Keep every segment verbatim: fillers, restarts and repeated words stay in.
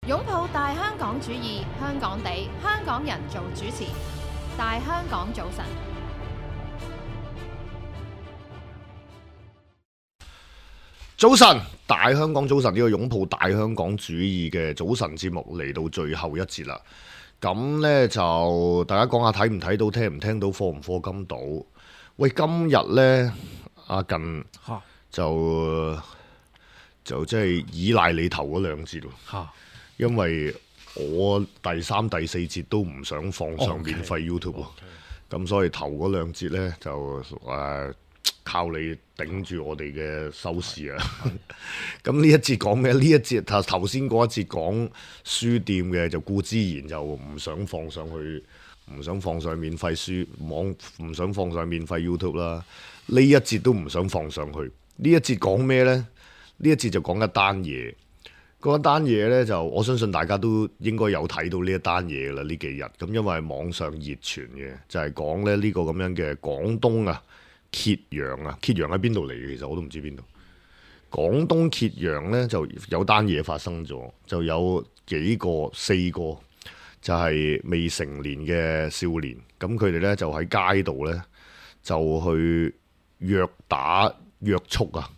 擁抱大香港主義，香港地，香港人做主持。大香港早晨，早晨，大香港早晨，呢個擁抱大香港主義嘅早晨節目嚟到最後一節啦。咁呢，就大家講下睇唔睇到，聽唔聽到，課唔課金到？喂，今日呢，阿近就就即係依賴你頭嗰兩節喎，因為我第三、第四節都唔想放上免費 YouTube 喎，咁所以頭嗰兩節呢，就誒。呃靠你頂住我哋嘅收視啊！咁呢一節講咩？呢一節頭頭先嗰一節講書店嘅，就顧之然就唔想放上去，唔想放上免費書網，唔想放上免費 YouTube 啦。呢一節都唔想放上去。呢一節講咩呢？呢一節就講一單嘢。嗰一單嘢呢，就我相信大家都應該有睇到呢一單嘢啦。呢幾日咁，因為網上熱傳嘅就係講咧呢個咁樣嘅廣東啊。揭陽啊，揭陽喺邊度嚟嘅？其實我都唔知邊度。廣東揭陽呢就有單嘢發生咗，就有幾個四個就係未成年嘅少年，咁佢哋呢就喺街度呢，就去虐打約束啊，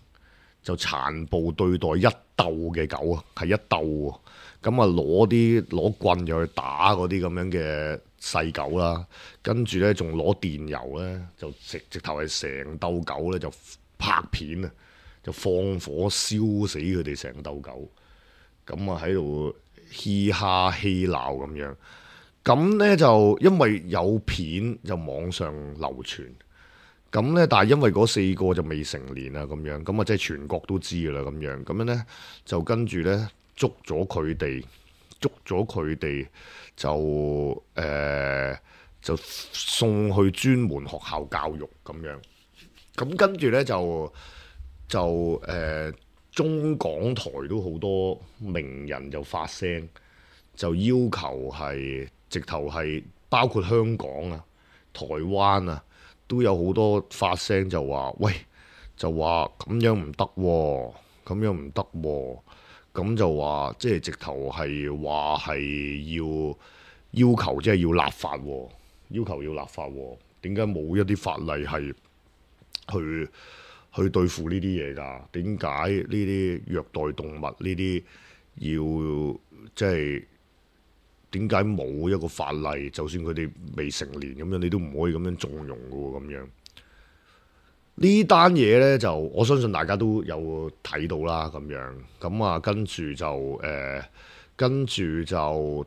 就殘暴對待一鬥嘅狗啊，係一鬥喎。咁啊攞啲攞棍就去打嗰啲咁樣嘅細狗啦，跟住呢，仲攞電油呢，就直直頭係成鬥狗呢，就拍片啊，就放火燒死佢哋成鬥狗，咁啊喺度嘻哈嬉鬧咁樣，咁呢，就因為有片就網上流傳，咁呢，但係因為嗰四個就未成年啊咁樣，咁啊即係全國都知噶啦咁樣，咁樣呢，就跟住呢。捉咗佢哋，捉咗佢哋就誒、呃、就送去專門學校教育咁樣。咁跟住呢，就就誒、呃、中港台都好多名人就發聲，就要求係直頭係包括香港啊、台灣啊，都有好多發聲就話喂，就話咁樣唔得喎，咁樣唔得喎。咁就話即係直頭係話係要要求，即係要立法喎，要求要立法喎。點解冇一啲法例係去去對付呢啲嘢㗎？點解呢啲虐待動物呢啲要即係點解冇一個法例？就算佢哋未成年咁樣，你都唔可以咁樣縱容㗎喎，咁樣。呢單嘢呢，就我相信大家都有睇到啦，咁樣咁啊，跟住就誒、呃，跟住就誒、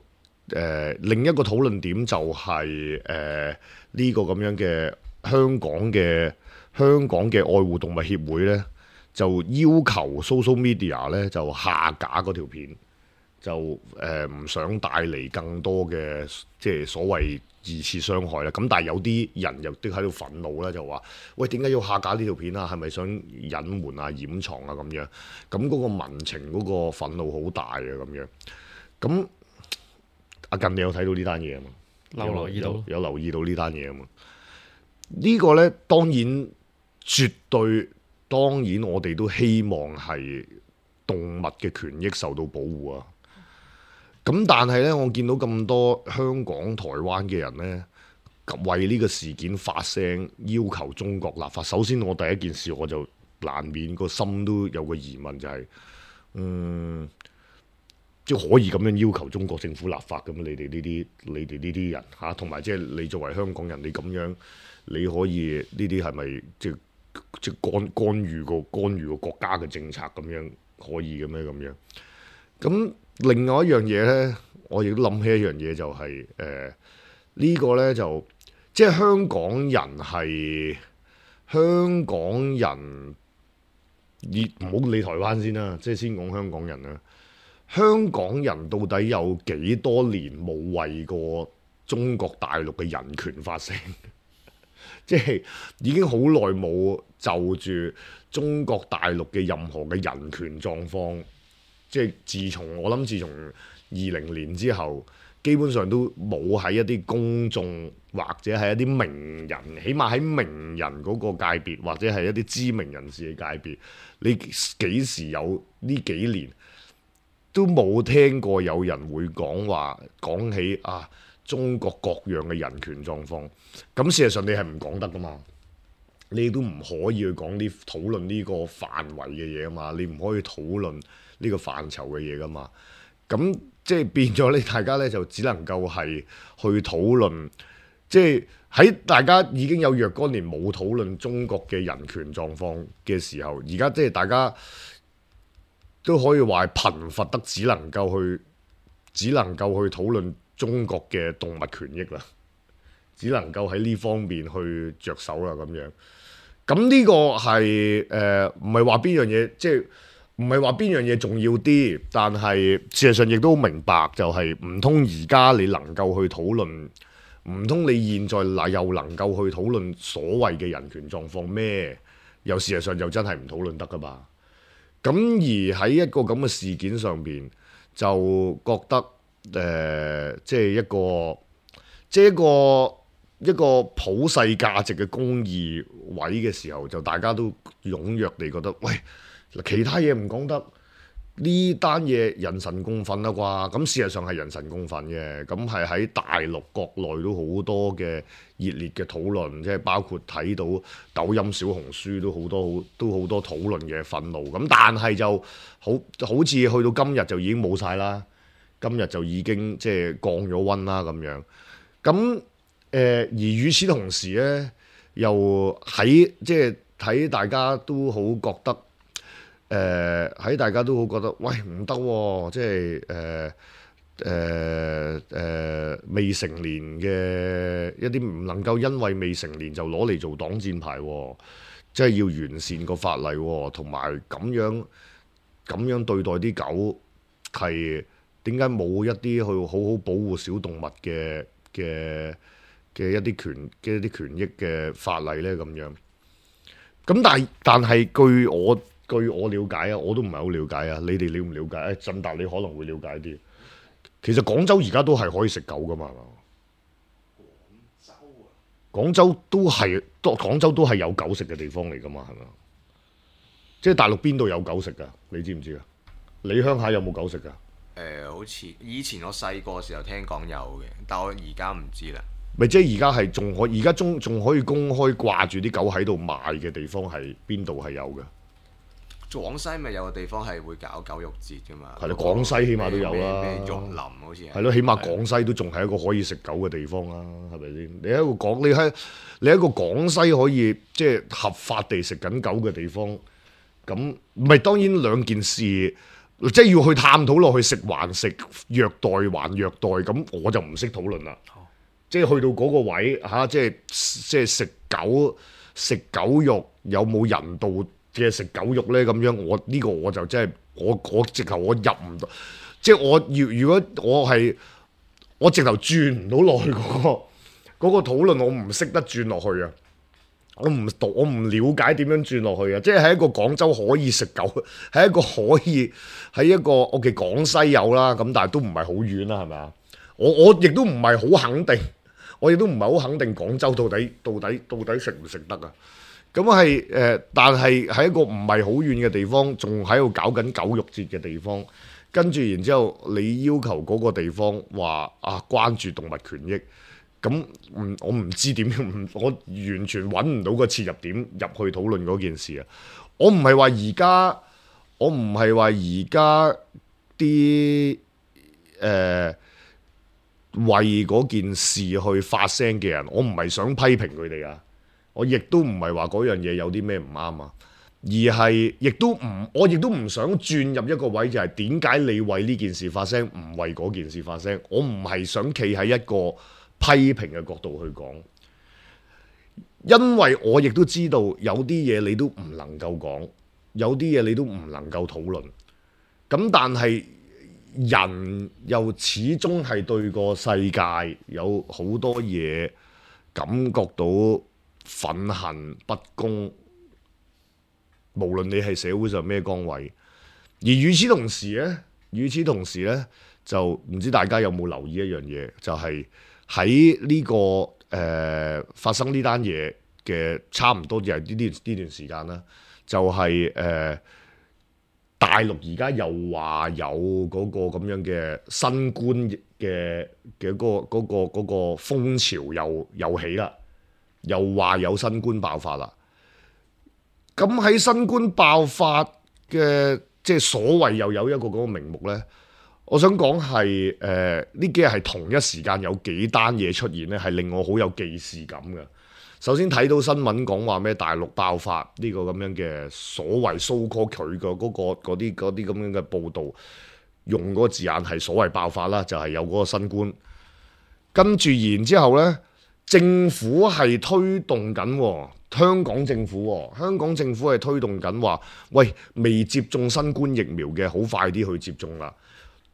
呃，另一個討論點就係誒呢個咁樣嘅香港嘅香港嘅愛護動物協會呢，就要求 social media 呢就下架嗰條片，就誒唔、呃、想帶嚟更多嘅即係所謂二次傷害啦，咁但係有啲人又都喺度憤怒咧，就話：喂，點解要下架呢條片啊？係咪想隱瞞啊、掩藏啊咁樣？咁嗰個民情嗰個憤怒好大啊咁樣。咁阿近你有睇到呢單嘢啊嘛？有留意到，有，有留意到呢單嘢啊嘛？呢個呢，當然絕對，當然我哋都希望係動物嘅權益受到保護啊。咁但係咧，我見到咁多香港、台灣嘅人咧，為呢個事件發聲，要求中國立法。首先，我第一件事我就難免個心都有個疑問，就係、是，嗯，即係可以咁樣要求中國政府立法咁？你哋呢啲，你哋呢啲人嚇，同埋即係你作為香港人，你咁樣你可以呢啲係咪即係即係干干預個干預個國家嘅政策咁樣可以嘅咩咁樣？咁另外一樣嘢呢，我亦都諗起一樣嘢，就係誒呢個呢，就即係香港人係香港人，唔好理台灣先啦，即係先講香港人啦。香港人到底有幾多年冇為過中國大陸嘅人權發聲？即係已經好耐冇就住中國大陸嘅任何嘅人權狀況。即係自從我諗，自從二零年之後，基本上都冇喺一啲公眾或者係一啲名人，起碼喺名人嗰個界別，或者係一啲知名人士嘅界別，你幾時有呢幾年都冇聽過有人會講話講起啊中國各樣嘅人權狀況。咁事實上你係唔講得噶嘛，你都唔可以去講呢討論呢個範圍嘅嘢啊嘛，你唔可以討論呢個範疇嘅嘢噶嘛。咁即係變咗你大家咧就只能夠係去討論，即係喺大家已經有若干年冇討論中國嘅人權狀況嘅時候，而家即係大家都可以話係貧乏得只能夠去，只能夠去討論中國嘅動物權益啦，只能夠喺呢方面去着手啦咁樣。咁呢個係誒唔係話邊樣嘢，即係唔係話邊樣嘢重要啲，但係事實上亦都明白就係唔通而家你能夠去討論，唔通你現在嗱又能夠去討論所謂嘅人權狀況咩？又事實上就真係唔討論得噶嘛。咁而喺一個咁嘅事件上邊，就覺得誒、呃，即係一個，即係一個一個普世價值嘅公義位嘅時候，就大家都踴躍地覺得，喂，其他嘢唔講得，呢單嘢人神共憤啦啩。咁事實上係人神共憤嘅，咁係喺大陸國內都好多嘅熱烈嘅討論，即係包括睇到抖音、小紅書都好多都好多討論嘅憤怒。咁但係就好好似去到今日就已經冇晒啦，今日就已經即係降咗溫啦咁樣。咁誒、呃、而與此同時咧，又喺即係睇大家都好覺得。誒喺、呃、大家都好覺得，喂唔得喎，即係誒誒誒未成年嘅一啲唔能夠因為未成年就攞嚟做擋箭牌喎，即係要完善個法例喎，同埋咁樣咁樣對待啲狗係點解冇一啲去好好保護小動物嘅嘅嘅一啲權嘅一啲權益嘅法例咧咁樣？咁但係但係據我據我了解啊，我都唔係好了解啊。你哋了唔了解？誒、哎，振達你可能會了解啲。其實廣州而家都係可以食狗噶嘛？廣州啊？廣州都係，都廣州都係有狗食嘅地方嚟噶嘛？係咪？即係大陸邊度有狗食噶？你知唔知啊？你鄉下有冇狗食噶？誒、呃，好似以前我細個時候聽講有嘅，但我而家唔知啦。咪即係而家係仲可，而家仲仲可以公開掛住啲狗喺度賣嘅地方係邊度係有嘅？廣西咪有個地方係會搞狗肉節㗎嘛？係咯，廣西起碼都有啦。咩玉林好似係。係咯，起碼廣西都仲係一個可以食狗嘅地方啦，係咪先？你喺個廣，你喺你喺個廣西可以即係合法地食緊狗嘅地方，咁唔係當然兩件事，即係要去探討落去食還食，虐待還虐待，咁我就唔識討論啦。哦、即係去到嗰個位嚇、啊，即係即係食狗食狗肉有冇人道嘅食狗肉呢？咁樣我呢、呢個我就真係我我直頭我入唔到，即係我要如果我係我直頭轉唔到落去嗰、嗰個嗰、嗰個討論，我唔識得轉落去啊！我唔讀，我唔了解點樣轉落去啊！即係喺一個廣州可以食狗，喺一個可以喺一個我嘅廣西有啦，咁但係都唔係好遠啦，係咪啊？我我亦都唔係好肯定，我亦都唔係好肯定廣州到底到底到底食唔食得啊？咁係誒，但係喺一個唔係好遠嘅地方，仲喺度搞緊狗肉節嘅地方，跟住然之後你要求嗰個地方話啊關注動物權益，咁唔我唔知點樣，我完全揾唔到個切入點入去討論嗰件事啊！我唔係話而家，我唔係話而家啲誒為嗰件事去發聲嘅人，我唔係想批評佢哋啊！我亦都唔係話嗰樣嘢有啲咩唔啱啊，而係亦都唔，我亦都唔想轉入一個位，就係點解你為呢件事發聲，唔為嗰件事發聲？我唔係想企喺一個批評嘅角度去講，因為我亦都知道有啲嘢你都唔能夠講，有啲嘢你都唔能夠討論。咁但係人又始終係對個世界有好多嘢感覺到憤恨不公，無論你係社會上咩崗位，而與此同時呢，與此同時呢，就唔知大家有冇留意一樣嘢，就係喺呢個誒、呃、發生呢單嘢嘅差唔多就係呢啲呢段時間啦，就係、是、誒、呃、大陸而家又話有嗰個咁樣嘅新冠嘅嘅嗰個嗰個嗰個風潮又又起啦，又話有新冠爆發啦。咁喺新冠爆發嘅即係所謂又有一個嗰個名目呢，我想講係誒呢幾日係同一時間有幾單嘢出現呢，係令我好有既視感嘅。首先睇到新聞講話咩大陸爆發呢個咁樣嘅所謂 so call 佢嘅嗰個嗰啲嗰啲咁樣嘅報導，用嗰個字眼係所謂爆發啦，就係有嗰個新冠。跟住然之後呢，政府係推動緊。香港政府、哦，香港政府係推動緊話，喂，未接種新冠疫苗嘅，好快啲去接種啦。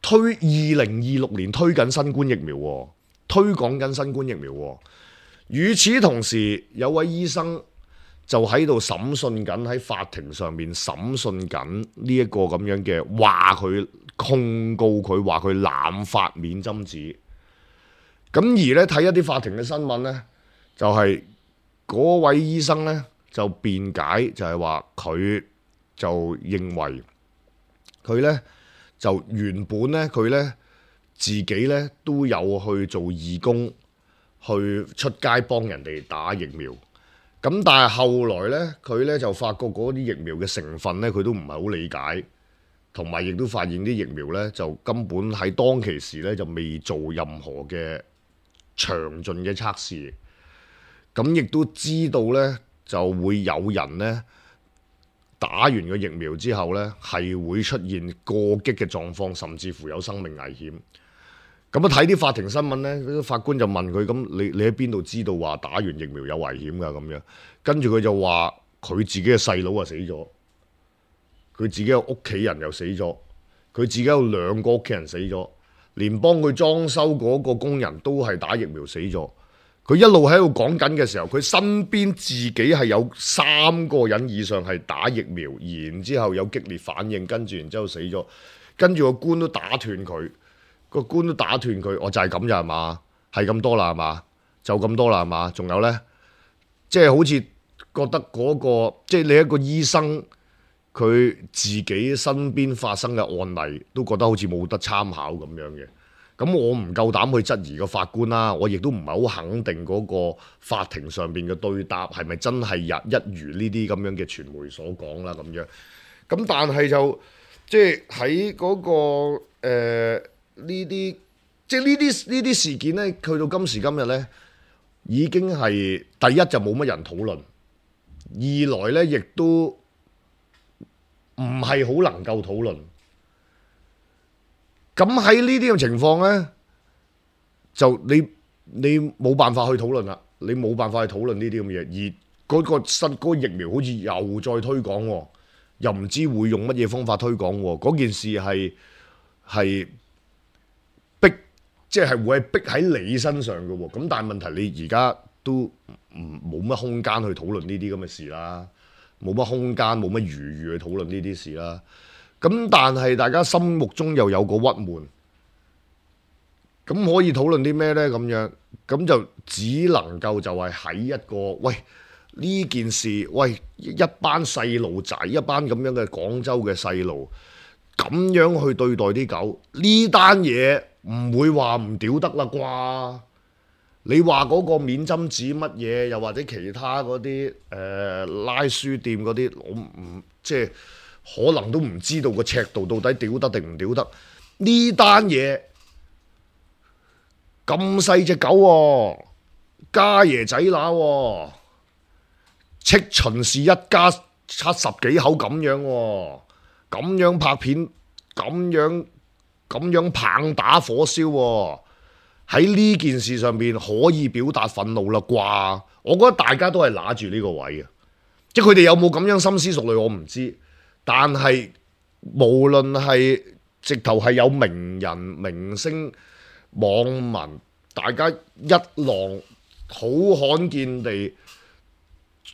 推二零二六年推緊新冠疫苗、哦，推廣緊新冠疫苗、哦。與此同時，有位醫生就喺度審訊緊，喺法庭上面審訊緊呢一個咁樣嘅話，佢控告佢話佢濫發免針紙。咁而咧睇一啲法庭嘅新聞呢，就係、是。嗰位醫生呢，就辯解，就係話佢就認為佢呢，就原本呢，佢呢自己呢都有去做義工，去出街幫人哋打疫苗。咁但係後來呢，佢呢就發覺嗰啲疫苗嘅成分呢，佢都唔係好理解，同埋亦都發現啲疫苗呢，就根本喺當其時呢，就未做任何嘅詳盡嘅測試。咁亦都知道呢，就會有人呢打完個疫苗之後呢，係會出現過激嘅狀況，甚至乎有生命危險。咁啊睇啲法庭新聞呢，法官就問佢：咁你你喺邊度知道話打完疫苗有危險㗎？咁樣跟住佢就話佢自己嘅細佬啊死咗，佢自己嘅屋企人又死咗，佢自己有兩個屋企人死咗，連幫佢裝修嗰個工人都係打疫苗死咗。佢一路喺度講緊嘅時候，佢身邊自己係有三個人以上係打疫苗，然之後有激烈反應，跟住然之後死咗，跟住個官都打斷佢，個官都打斷佢，我就係咁咋係嘛？係咁多啦係嘛？就咁多啦係嘛？仲有呢？即係好似覺得嗰個，即係你一個醫生，佢自己身邊發生嘅案例，都覺得好似冇得參考咁樣嘅。咁我唔夠膽去質疑個法官啦，我亦都唔係好肯定嗰個法庭上邊嘅對答係咪真係一一如呢啲咁樣嘅傳媒所講啦咁樣。咁但係就即係喺嗰個誒呢啲，即係呢啲呢啲事件呢，去到今時今日呢，已經係第一就冇乜人討論，二來呢亦都唔係好能夠討論。咁喺呢啲嘅情況呢，就你你冇辦法去討論啦，你冇辦法去討論呢啲咁嘅嘢，而嗰個新嗰個疫苗好似又再推廣喎，又唔知會用乜嘢方法推廣喎，嗰件事係係逼，即係會係逼喺你身上嘅喎，咁但係問題你而家都唔冇乜空間去討論呢啲咁嘅事啦，冇乜空間冇乜餘裕去討論呢啲事啦。咁但係大家心目中又有個鬱悶，咁可以討論啲咩呢？咁樣咁就只能夠就係喺一個喂呢件事，喂一班細路仔，一班咁樣嘅廣州嘅細路，咁樣去對待啲狗，呢單嘢唔會話唔屌得啦啩？你話嗰個免針紙乜嘢，又或者其他嗰啲誒拉書店嗰啲，我唔即係。可能都唔知道個尺度到底屌得定唔屌得。呢單嘢咁細隻狗喎，家爺仔乸喎，戚秦氏一家七十幾口咁樣喎，咁樣拍片，咁樣咁樣棒打火燒喎，喺呢件事上面可以表達憤怒啦啩？我覺得大家都係揦住呢個位嘅，即係佢哋有冇咁樣深思熟慮我唔知。但係無論係直頭係有名人、明星、網民，大家一浪好罕見地，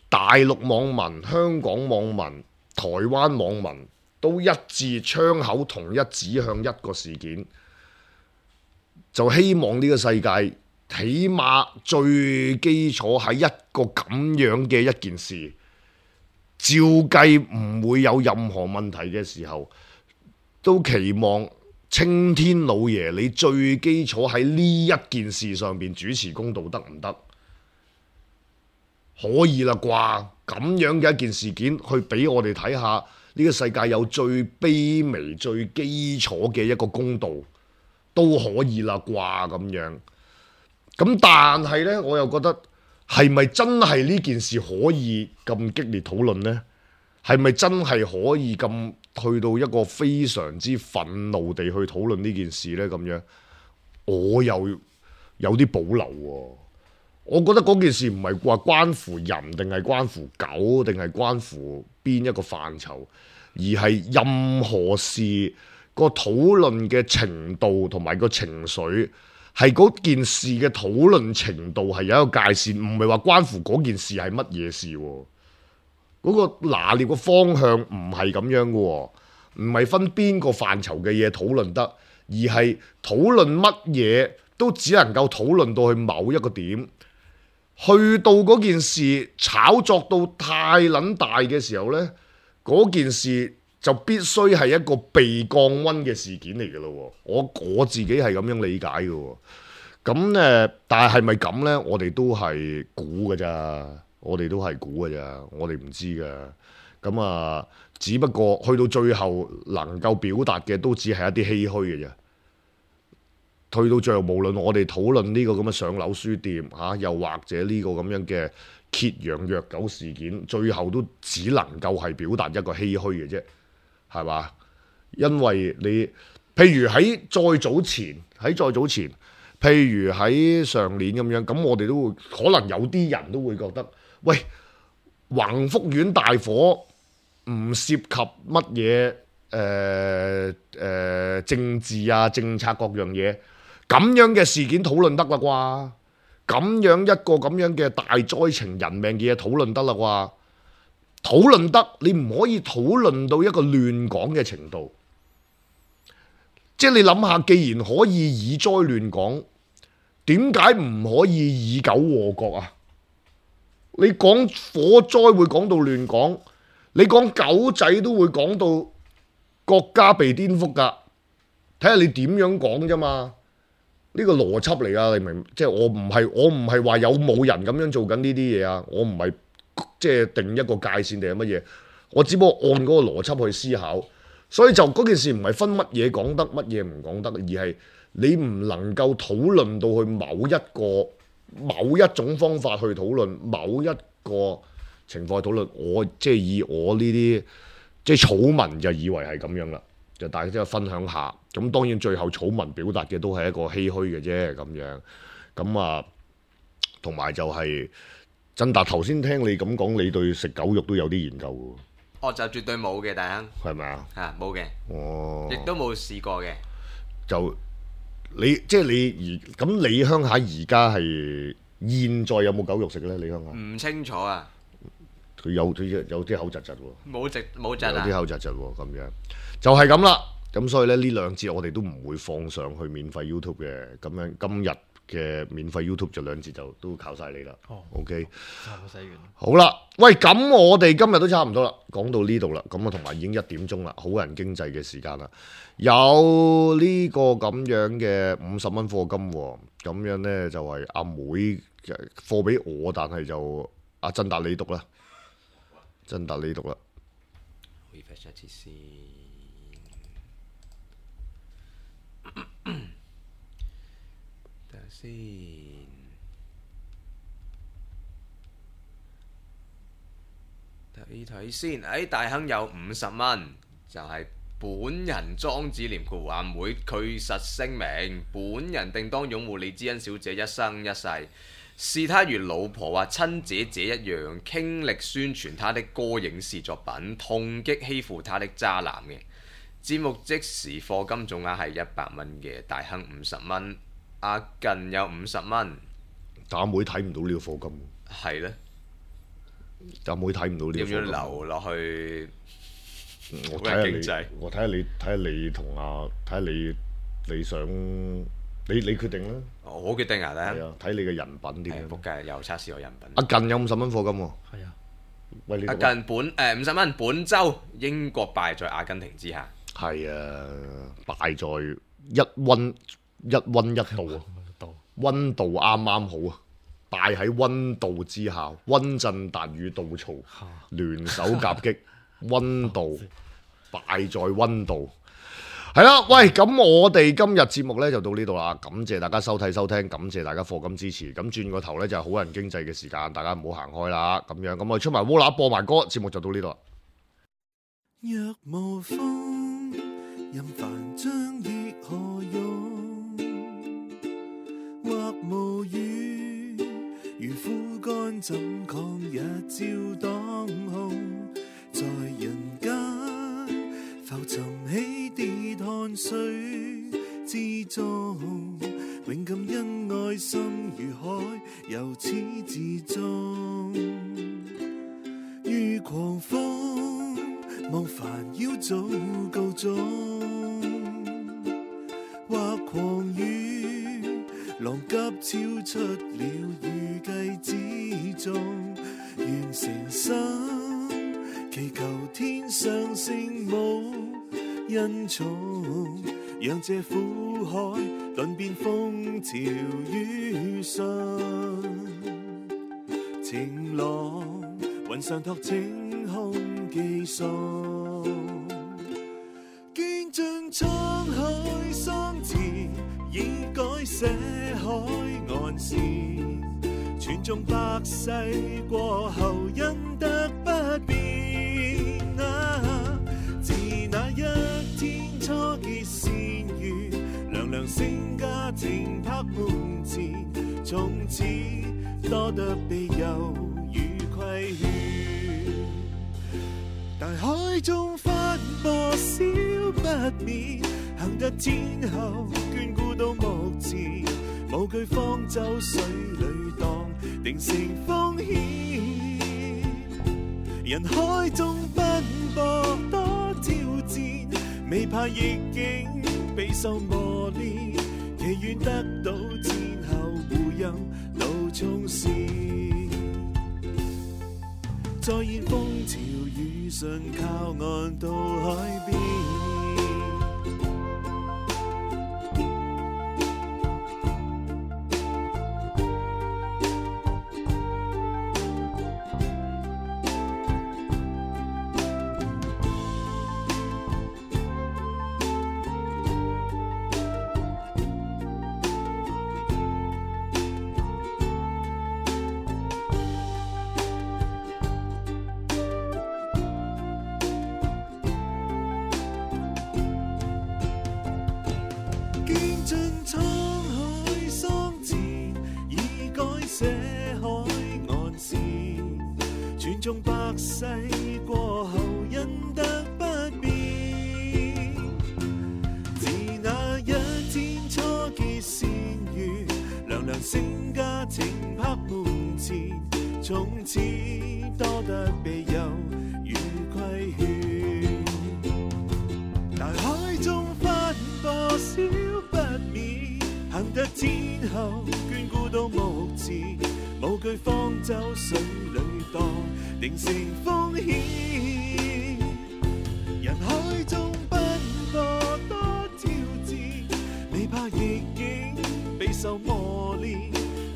大陸網民、香港網民、台灣網民都一致槍口同一指向一個事件，就希望呢個世界起碼最基礎係一個咁樣嘅一件事。照計唔會有任何問題嘅時候，都期望青天老爺你最基礎喺呢一件事上邊主持公道得唔得？可以啦啩？咁樣嘅一件事件，去俾我哋睇下呢個世界有最卑微、最基礎嘅一個公道，都可以啦啩？咁樣。咁但係呢，我又覺得係咪真係呢件事可以咁激烈討論呢？係咪真係可以咁去到一個非常之憤怒地去討論呢件事呢？咁樣我又有啲保留喎。我覺得嗰件事唔係話關乎人，定係關乎狗，定係關乎邊一個範疇，而係任何事個討論嘅程度同埋個情緒，係嗰件事嘅討論程度係有一個界線，唔係話關乎嗰件事係乜嘢事喎。嗰個拿捏個方向唔係咁樣嘅喎，唔係分邊個範疇嘅嘢討論得，而係討論乜嘢都只能夠討論到去某一個點。去到嗰件事炒作到太撚大嘅時候呢，嗰件事就必須係一個被降溫嘅事件嚟嘅咯。我我自己係咁樣理解嘅。咁誒，但係係咪咁呢？我哋都係估㗎咋，我哋都係估㗎咋，我哋唔知㗎。咁啊，只不過去到最後能夠表達嘅都只係一啲唏噓嘅啫。去到最後，無論我哋討論呢個咁嘅上樓書店嚇、啊，又或者呢個咁樣嘅揭陽虐狗事件，最後都只能夠係表達一個唏噓嘅啫，係嘛？因為你譬如喺再早前，喺再早前，譬如喺上年咁樣，咁我哋都會可能有啲人都會覺得，喂，宏福苑大火唔涉及乜嘢誒誒政治啊、政策各樣嘢。咁樣嘅事件討論得啦啩？咁樣一個咁樣嘅大災情人命嘅嘢討論得啦啩？討論得，你唔可以討論到一個亂講嘅程度。即係你諗下，既然可以以災亂講，點解唔可以以狗禍國啊？你講火災會講到亂講，你講狗仔都會講到國家被顛覆㗎。睇下你點樣講啫嘛？呢個邏輯嚟啊！你明？即係我唔係我唔係話有冇人咁樣做緊呢啲嘢啊！我唔係即係定一個界線定係乜嘢？我只不過按嗰個邏輯去思考，所以就嗰件事唔係分乜嘢講得，乜嘢唔講得，而係你唔能夠討論到去某一個某一種方法去討論某一個情況去討論。我即係以我呢啲即係草民就以為係咁樣啦。就大家即係分享下，咁當然最後草民表達嘅都係一個唏噓嘅啫，咁樣，咁啊，同埋就係真達頭先聽你咁講，你對食狗肉都有啲研究喎。哦，就絕對冇嘅，大亨。係咪啊？嚇，冇嘅。哦。亦都冇試過嘅。就你即係你而咁，你鄉下而家係現在有冇狗肉食咧？你鄉下？唔清楚啊。佢有有有啲口窒窒喎。冇窒冇窒啊！有啲口窒窒喎，咁樣。就係咁啦，咁所以咧呢兩節我哋都唔會放上去免費 YouTube 嘅，咁樣今日嘅免費 YouTube 就兩節就都靠晒你啦。哦，OK，差唔多洗完。好啦，喂，咁我哋今日都差唔多啦，講到呢度啦，咁啊同埋已經一點鐘啦，好人經濟嘅時間啦，有呢個咁樣嘅五十蚊課金喎，咁樣呢就係阿妹課俾我，但係就阿真達你讀啦，真達你讀啦。refresh 一次先。先睇睇先，誒大亨有五十蚊，就係、是、本人莊子廉括阿妹，據實聲明，本人定當擁護李知恩小姐一生一世，視她如老婆或親姐姐一樣，傾力宣傳她的歌影視作品，痛擊欺負她的渣男嘅。節目即時課金總額係一百蚊嘅，大亨五十蚊。阿近有五十蚊，但阿妹睇唔到呢個課金，係呢？阿妹睇唔到呢個課金，要唔要留落去？我睇下你，我睇下你，睇下你同阿睇下你，你想你你決定啦。我決定啊，睇下睇你嘅人品點。仆街又測試我人品。阿近有五十蚊課金喎，係啊，喂，近本誒五十蚊，本周英國敗在阿根廷之下。係啊，敗在一溫一溫一度啊，溫度啱啱好啊，敗喺溫度之下，溫震達與杜曹聯手夾擊，溫度敗在溫度。係啦，喂，咁我哋今日節目呢就到呢度啦，感謝大家收睇收聽，感謝大家課金支持。咁轉個頭呢，就係好人經濟嘅時間，大家唔好行開啦。咁樣，咁我出埋烏乸播埋歌，節目就到呢度啦。若無風，任凡將亦何用？或無雨，如枯乾怎抗日照當空？在人間浮沉起跌汗水之中，永感恩愛心如海，由始至終。如狂風，望煩擾早告終，或狂雨，浪急超出了預計之中。願誠心祈求天上聖母恩寵，讓這苦海頓變風潮雨順。晴朗雲上托晴空寄送，見盡滄海桑田，已改寫海岸線。傳頌百世過後，因得不變。啊，自那一天初結善緣，娘娘勝家庭拍門前，從此多得庇佑與規勸。大海中翻波少不免，幸得天后眷顧到目前，無懼方舟水裏蕩，定成風險。人海中奔波多挑戰，未怕逆境備受磨練，祈願得到天后護蔭路衝線。再現風潮雨順，靠岸到海邊。見盡滄海桑田，已改寫海岸線。傳頌百世過後，因得不變。自那一天初結善緣，娘娘勝家庭拍門前，從此多得庇佑與規勸。大海中翻波少幸得天后眷顧到目前，無懼方舟水裏蕩，定成風險。人海中奔波多挑戰，未怕逆境備受磨練，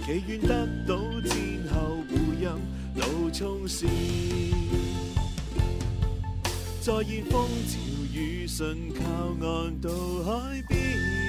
祈願得到天后護蔭路衝線。再現風潮雨順，靠岸到海邊。